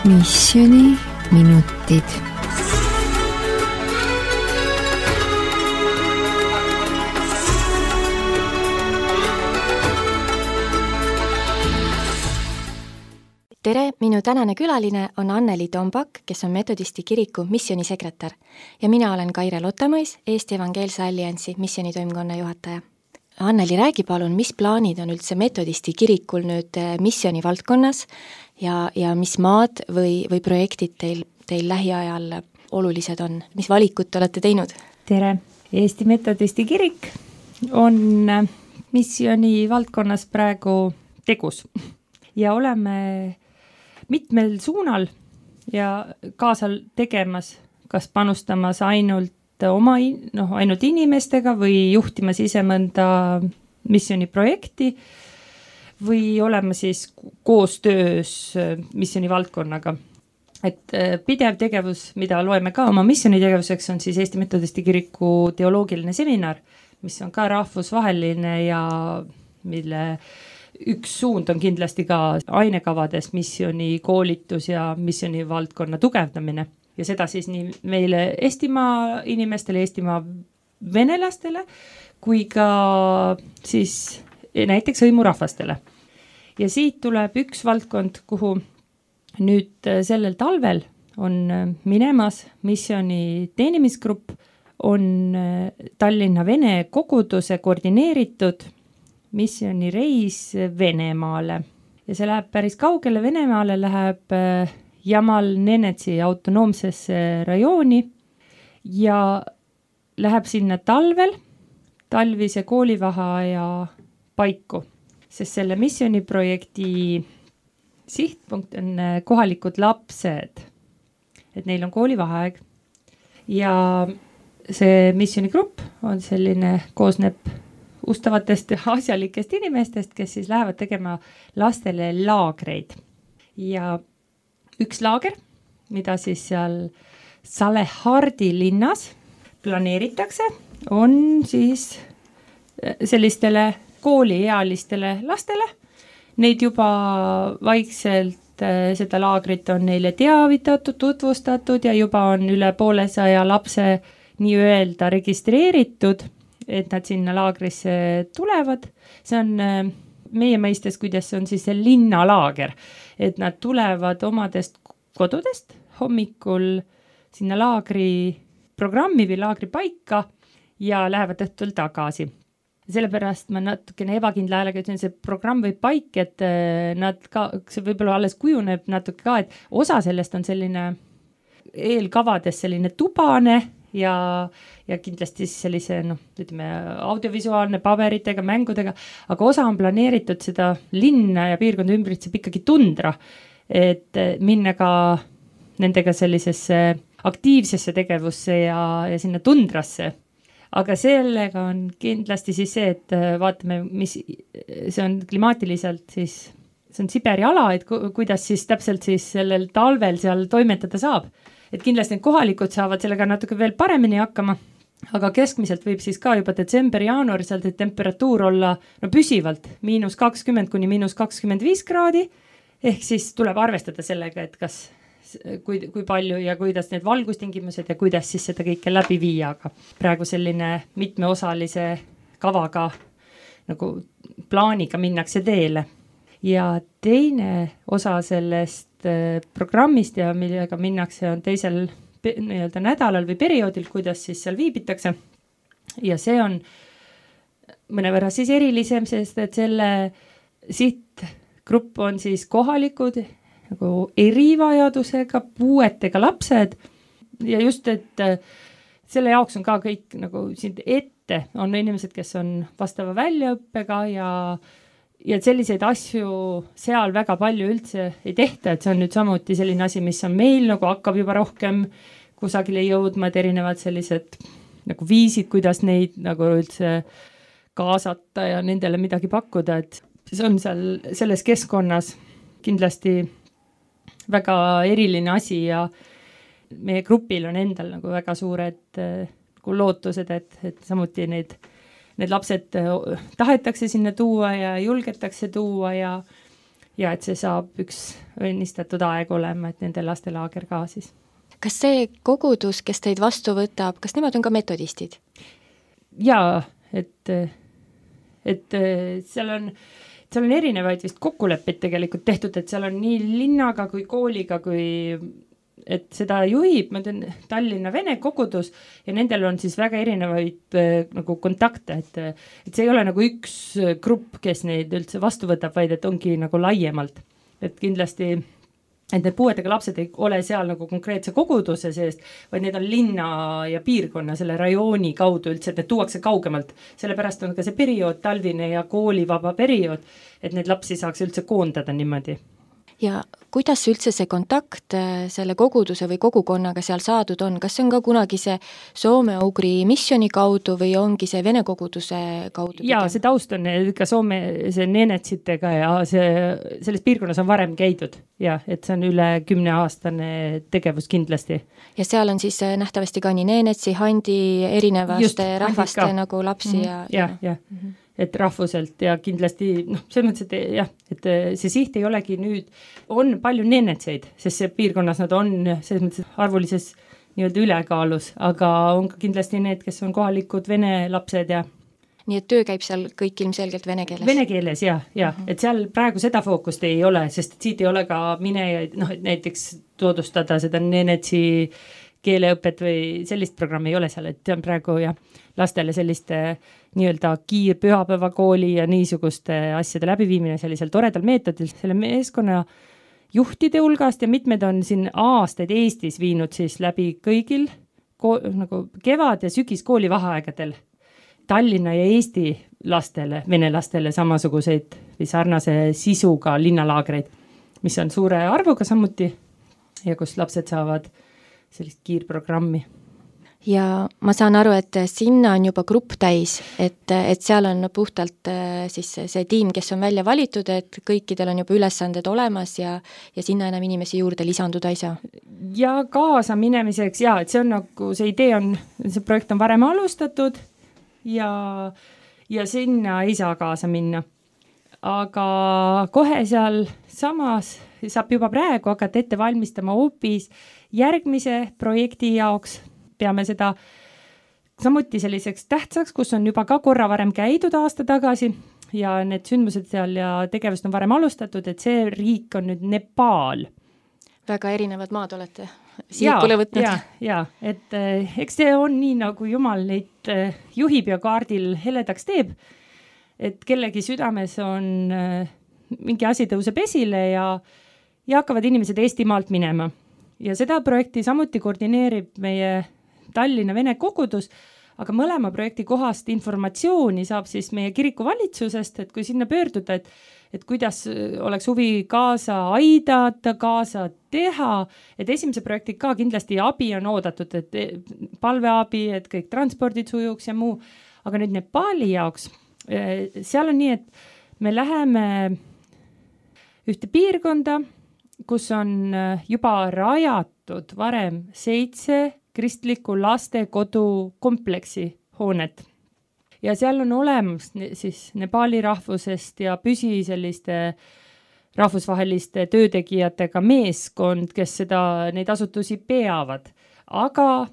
Missiooniminutid. Tere, minu tänane külaline on Anneli Tombak, kes on Metodisti kiriku missioonisekretär ja mina olen Kaire Lotamõis, Eesti Evangeelse Alliansi missioonitoimkonna juhataja. Anneli, räägi palun, mis plaanid on üldse Metodisti kirikul nüüd missiooni valdkonnas ja mis maad või projektid teil lähiajal olulised on? Mis valikut olete teinud? Tere! Eesti Metodisti kirik on missiooni valdkonnas praegu tegus ja oleme mitmel suunal ja kaasal tegemas, kas panustamas ainult inimestega või juhtimas ise mõnda missiooniprojekti või olema siis koostöös missiooni valdkonnaga. Et pidev tegevus, mida loeme ka oma missioonitegevuseks, on siis Eesti Metodisti kiriku teoloogiline seminar, mis on ka rahvusvaheline ja mille üks suund on kindlasti ka ainekavades missiooni koolitus ja missiooni valdkonna tugevdamine. Ja seda siis nii meile Eestimaa inimestele, Eestimaa venelastele, kui ka siis näiteks hõimurahvastele. Ja siit tuleb üks valdkond, kuhu nüüd sellel talvel on minemas missiooni teenimisgrupp, on Tallinna Vene koguduse koordineeritud missioonireis Venemaale. Ja see läheb päris kaugele. Venemaale läheb Jamal Nenetsi autonoomsesse rajooni ja läheb sinna talvise koolivaheaja paiku, sest selle missiooniprojekti sihtpunkt on kohalikud lapsed, et neil on koolivaheaeg ja see missioonigrupp on selline, koosneb ustavatest asjalikest inimestest, kes siis lähevad tegema lastele laagreid ja üks laager, mida siis seal Salehardi linnas planeeritakse, on siis sellistele kooliealistele lastele. Neid juba vaikselt seda laagrit on neile teavitatud, tutvustatud ja juba on üle 200 lapse nii-öelda registreeritud, et nad sinna laagrisse tulevad. See on meie mõistes, kuidas see on siis see linnalaager, et nad tulevad omadest kodudest hommikul sinna laagri programmi või laagri paika ja lähevad õhtul tagasi. Sellepärast ma natukene ebakindla häälega ütlen, see programm või paik, et nad ka, see võib-olla alles kujuneb natuke ka, et osa sellest on selline eelkavades selline tubane ja kindlasti sellise audiovisuaalne paberitega, mängudega, aga osa on planeeritud seda linna ja piirkonda ümbritseb ikkagi tundra, et minna ka nendega sellisesse aktiivsesse tegevusse ja sinna tundrasse. Aga sellega on kindlasti siis see, et vaatame, mis see on klimaatiliselt siis, see on Siberi ala, et kuidas siis täpselt siis sellel talvel seal toimetada saab. Et kindlasti need kohalikud saavad sellega natuke veel paremini hakkama, aga keskmiselt võib siis ka juba detsember-jaanuar seal temperatuur olla püsivalt -20 kuni -25 kraadi, ehk siis tuleb arvestada sellega, et kas kui palju ja kuidas need valgustingimused ja kuidas siis seda kõike läbi viia, aga praegu selline mitmeosalise kavaga nagu plaaniga minnakse teele. Ja teine osa sellest programmist ja millega minnakse on teisel nädalal või perioodil, kuidas siis seal viibitakse. Ja see on mõnevõrra siis erilisem, sest et selle sihtgrupp on siis kohalikud nagu erivajadusega, puuetega lapsed ja just, et selle jaoks on ka kõik nagu siin ette on inimesed, kes on vastava väljaõppega ja selliseid asju seal väga palju üldse ei tehta, et see on nüüd samuti selline asi, mis on meil nagu hakkab juba rohkem kusagile jõudma, et erinevad sellised nagu viisid, kuidas neid nagu üldse kaasata ja nendele midagi pakkuda, et see on seal selles keskkonnas kindlasti väga eriline asi ja meie grupil on endal nagu väga suured lootused, et samuti need lapsed tahetakse sinna tuua ja julgetakse tuua ja ja et see saab üks õnnistatud aeg olema, et nende lastelaager ka siis. Kas see kogudus, kes teid vastu võtab, kas nemad on ka metodistid? Jaa, et seal on erinevaid vist kokkuleppeid tegelikult tehtud, et seal on nii linnaga kui kooliga, kui et seda juhib, ma tean, Tallinna Vene kogudus ja nendel on siis väga erinevaid nagu kontakte, et see ei ole nagu üks grupp, kes neid üldse vastu võtab, vaid et ongi nagu laiemalt. Et kindlasti, et need puuetega lapsed ei ole seal nagu konkreetse koguduse seest, vaid need on linna ja piirkonna, selle rajooni kaudu üldse, et need tuuakse kaugemalt. Sellepärast on ka see periood, talvine ja koolivaba periood, et need lapsi saaks üldse koondada niimoodi. Ja kuidas üldse see kontakt selle koguduse või kogukonnaga seal saadud on? Kas see on ka kunagi see soome-ugri missioni kaudu või ongi see vene koguduse kaudu? Jaa, see taust on ka Soome see Nenetsitega ja selles piirkonnas on varem käidud ja et see on üle 10-aastane tegevus kindlasti. Ja seal on siis nähtavasti ka nii Nenetsi, Handi, erinevaste rahvaste nagu lapsi ja. Et rahvuselt ja kindlasti, selles mõttes, et jah, et see siht ei olegi nüüd, on palju nenetseid, sest see piirkonnas nad on selles mõttes arvulises nii-öelda ülekaalus, aga on ka kindlasti need, kes on kohalikud vene lapsed ja nii et töö käib seal kõik ilmselgelt vene keeles? Vene keeles, ja. Et seal praegu seda fookust ei ole, sest siit ei ole ka minejaid, näiteks toodustada seda nenetsi keeleõpet või sellist programmi ei ole seal, et on praegu ja lastele selliste nii-öelda kiirpühapäevakooli ja niisuguste asjade läbiviimine sellisel toredal meetodil. Selle meeskonna juhtide hulgast ja mitmed on siin aastaid Eestis viinud siis läbi kõigil nagu kevad- ja sügiskooli vaheaegadel Tallinna ja Eesti lastele, vene lastele samasuguseid või sarnase sisuga linnalaagreid, mis on suure arvuga samuti ja kus lapsed saavad sellist kiirprogrammi. Ja ma saan aru, et sinna on juba grupp täis, et seal on puhtalt siis see tiim, kes on välja valitud, et kõikidel on juba ülesanded olemas ja sinna enam inimesi juurde lisanduda ei saa. Ja kaasa minemiseks, et see on nagu, see idee on, see projekt on varem alustatud ja sinna ei saa kaasa minna. Aga kohe seal samas saab juba praegu hakata ette valmistama hoopis järgmise projekti jaoks. Peame seda samuti selliseks tähtsaks, kus on juba ka korra varem käidud aasta tagasi ja need sündmused seal ja tegevust on varem alustatud, et see riik on nüüd Nepaal. Väga erinevad maad olete siikule võtnud. Ja, et eks see on nii, nagu Jumal neid juhib ja kaardil heledaks teeb, et kellegi südames on mingi asi tõuseb esile ja hakkavad inimesed Eestimaalt minema. Ja seda projekti samuti koordineerib meie Tallinna Vene kogudus, aga mõlema projekti kohast informatsiooni saab siis meie kiriku valitsusest, et kui sinna pöörduda, et kuidas oleks huvi kaasa aidata, kaasa teha, et esimese projekti ka kindlasti abi on oodatud, et palveabi, et kõik transpordid sujuks ja muu, aga nüüd Nepaali jaoks, seal on nii, et me läheme ühte piirkonda, kus on juba rajatud varem 7 kristliku lastekodu kompleksi hoonet. Ja seal on olemas siis Nepaali rahvusest ja püsi selliste rahvusvaheliste töötegijatega meeskond, kes neid asutusi peavad. Aga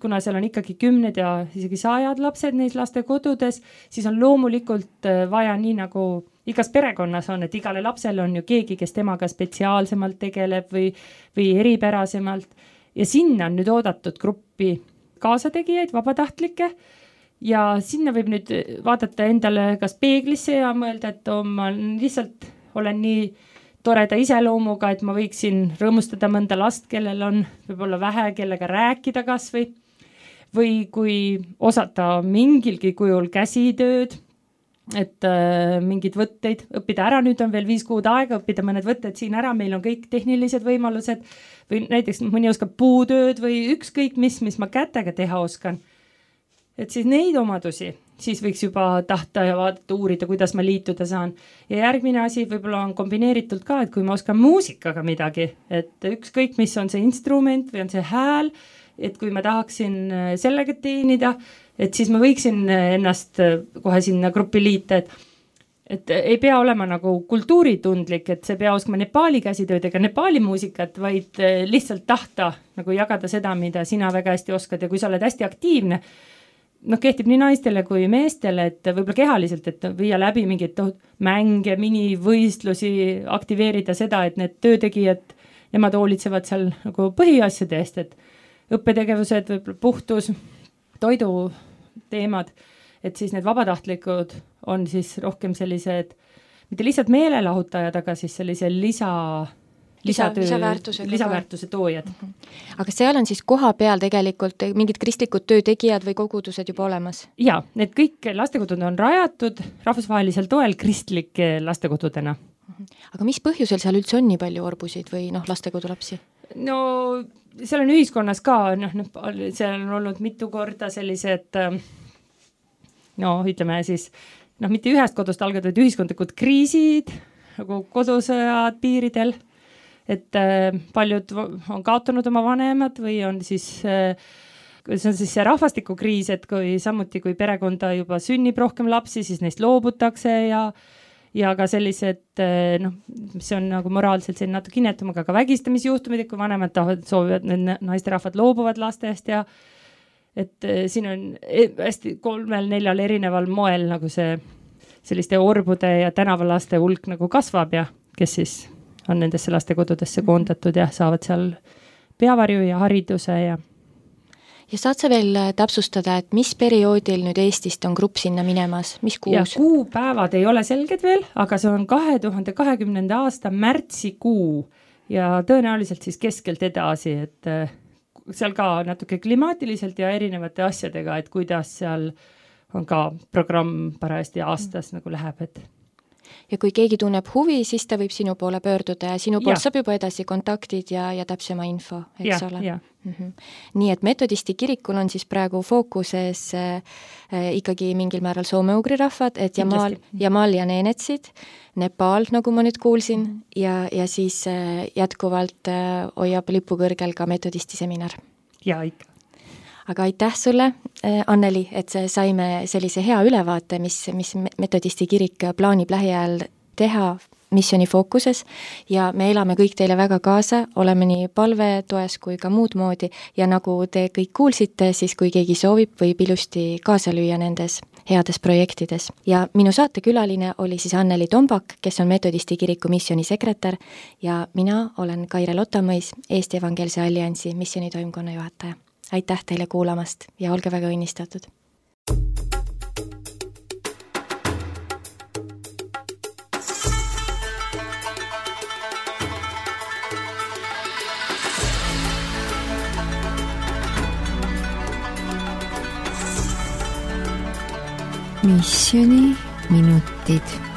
kuna seal on ikkagi 10 ja isegi 100 lapsed neis lastekodudes, siis on loomulikult vaja nii nagu igas perekonnas on, et igale lapsele on ju keegi, kes temaga spetsiaalsemalt tegeleb või eripärasemalt. Ja sinna on nüüd oodatud gruppi kaasategijaid, vabatahtlikke ja sinna võib nüüd vaadata endale kas peeglisse ja mõelda, et ma lihtsalt olen nii toreda iseloomuga, et ma võiksin rõõmustada mõnda last, kellel on võib-olla vähe, kellega rääkida kas või kui osata mingilgi kujul käsitööd, et mingid võtteid õppida ära, nüüd on veel 5 kuud aega õppida mõned võtted siin ära, meil on kõik tehnilised võimalused või näiteks mõni oskab puutööd või ükskõik mis ma kätega teha oskan. Et siis neid omadusi, siis võiks juba tahta ja vaadata, uurida, kuidas ma liituda saan. Ja järgmine asi võib-olla on kombineeritult ka, et kui ma oskan muusikaga midagi, et ükskõik mis on see instrument või on see hääl, et kui ma tahaksin sellega teenida, et siis ma võiksin ennast kohe sinna gruppi liita, et ei pea olema nagu kultuuritundlik, et see pea oskama Nepaali käsitööd ega Nepaali muusikat, vaid lihtsalt tahta nagu jagada seda, mida sina väga hästi oskad ja kui sa oled hästi aktiivne, kehtib nii naistele kui meestele, et võib-olla kehaliselt, et viia läbi mingeid mänge, minivõistlusi, aktiveerida seda, et need töötegijad, nemad hoolitsevad seal nagu põhiasjade eest, et õppetegevused, võib-olla puhtus, toidu teemad, et siis need vabatahtlikud on siis rohkem sellised, mitte lihtsalt meelelahutajad, aga siis sellise lisaväärtuse toojad. Aga seal on siis koha peal tegelikult mingid kristlikud töötegijad või kogudused juba olemas? Jaa, need kõik lastekodud on rajatud rahvusvahelisel toel kristlike lastekodudena. Aga mis põhjusel seal üldse on nii palju orbusid või lastekodulapsi? No seal on ühiskonnas ka, seal on olnud mitu korda sellised, ütleme siis, mitte ühest kodust algavad, vaid ühiskondlikud kriisid, nagu kodusõjad piiridel, et paljud on kaotanud oma vanemad või on siis, see on siis see rahvastikukriis, et samuti kui perekonda juba sünnib rohkem lapsi, siis neist loobutakse ja ka sellised, mis on nagu moraalselt selline natuke innetum, aga ka vägistamisjuhtumid, kui vanemad soovivad, need naisterahvad loobuvad lastest ja et siin on hästi 3-4 erineval moel nagu see selliste orbude ja tänavalaste hulk nagu kasvab ja kes siis on nendesse lastekodudesse koondatud ja saavad seal peavarju ja hariduse ja saad sa veel täpsustada, et mis perioodil nüüd Eestist on grupp sinna minemas, mis kuus? Ja kuupäevad ei ole selged veel, aga see on 2020. aasta märtsikuu ja tõenäoliselt siis keskelt edasi, et seal ka natuke klimaatiliselt ja erinevate asjadega, et kuidas seal on ka programm parajasti aastas nagu läheb, et ja kui keegi tunneb huvi, siis ta võib sinu poole pöörduda ja sinu poolt saab juba edasi kontaktid ja täpsema info, eks ole? Nii et metodisti kirikul on siis praegu fookuses ikkagi mingil määral soome-ugri rahvad, et Jamal ja Neenetsid, Nepal, nagu ma nüüd kuulsin, ja siis jätkuvalt hoiab lipu kõrgel ka metodisti seminar. Ja ikka. Aga aitäh sulle, Anneli, et saime sellise hea ülevaate, mis metodisti kirik plaanib lähiajal teha missiooni fookuses ja me elame kõik teile väga kaasa, oleme nii palve toes kui ka muud moodi ja nagu te kõik kuulsite, siis kui keegi soovib, võib ilusti kaasa lüüa nendes heades projektides. Ja minu saatekülaline oli siis Anneli Tombak, kes on metodisti kiriku missiooni sekretär ja mina olen Kaire Lotamõis, Eesti Evangeelse Alliansi missioonitoimkonna juhataja. Aitäh teile kuulamast ja olge väga õnnistatud. Missiooni minutid.